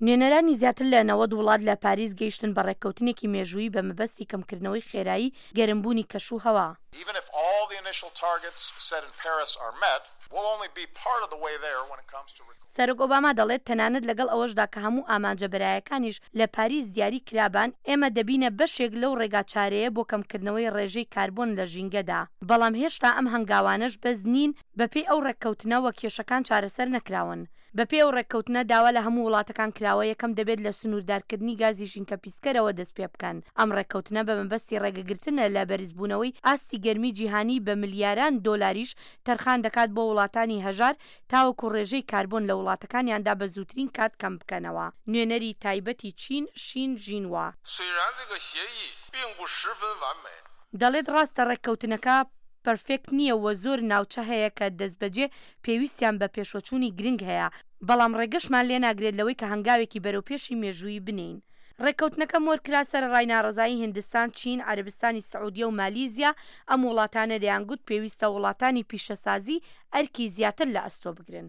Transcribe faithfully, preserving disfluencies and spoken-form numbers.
نوێنەرانی زیاتر لە نەوەد وڵات لە پاریس گەیشتن بە ڕێککەوتنێکی مێژوویی بە مەبەستی کەمکردنەوەی خێرایی گەرمبوونی کەش و هەوا. Even if all the initial targets set in Paris are met, we'll only be part of the way there when it comes to سەرۆک ئۆباما دەڵێت تەنانەت لەگەڵ ئەوەشدا کە هەموو ئامانجە بەرایەکانیش لە پاریس دیاری کرابان، ئێمە دەبینە بەشێک لەو ڕێگا چارەیە بۆ کەمکردنەوەی ڕێژەی کاربۆن لە ژینگەدا، بەڵام هێشتا ئەم هەنگاوانەش بەس نین. بەپێی ئەو ڕێککەوتنەوە کێشەکان چارەسەر نەکراون. بەپێی ئەو ڕێککەوتنە داوا لە هەموو وڵاتەکان کراوە یەکەم دەبێت لە سنووردارکردنی گازی ژینکە پیسکەرەوە دەست پێ بکەن. ئەم ڕێککەوتنە بە مەبەستی ڕێگەگرتنە لە بەرزبوونەوەی ئاستی گەرمی جیهانی، بە ملیاران دۆلاریش تەرخان دەکات بۆ وڵاتانی هەژار تاوەکو ڕێژەی کاربۆن لە وڵاتەکانیاندا بە زووترین کات کەم بکەنەوە. نوێنەری تایبەتی چین شین ژینوا دەڵێت ڕاستە ڕێککەوتنەکە پەرفێکت نییە و زۆر ناوچە هەیە کە دەستبەجێ پێویستیان بە پێشوەچوونی گرنگ هەیە، بەڵام ڕێگەشمان لێ ناگرێت لەوەی کە هەنگاوێکی بەرەوپێشی مێژوویی بنین. ڕێککەوتنەکە مۆرکرا سەرەڕای ناڕەزایی هندستان، چین، عەرەبستانی سعودیە و مالیزیا. ئەم وڵاتانە دەیانگوت پێویستە وڵاتانی پیشەسازی ئەرکی زیاتر لە ئەستۆ بگرن.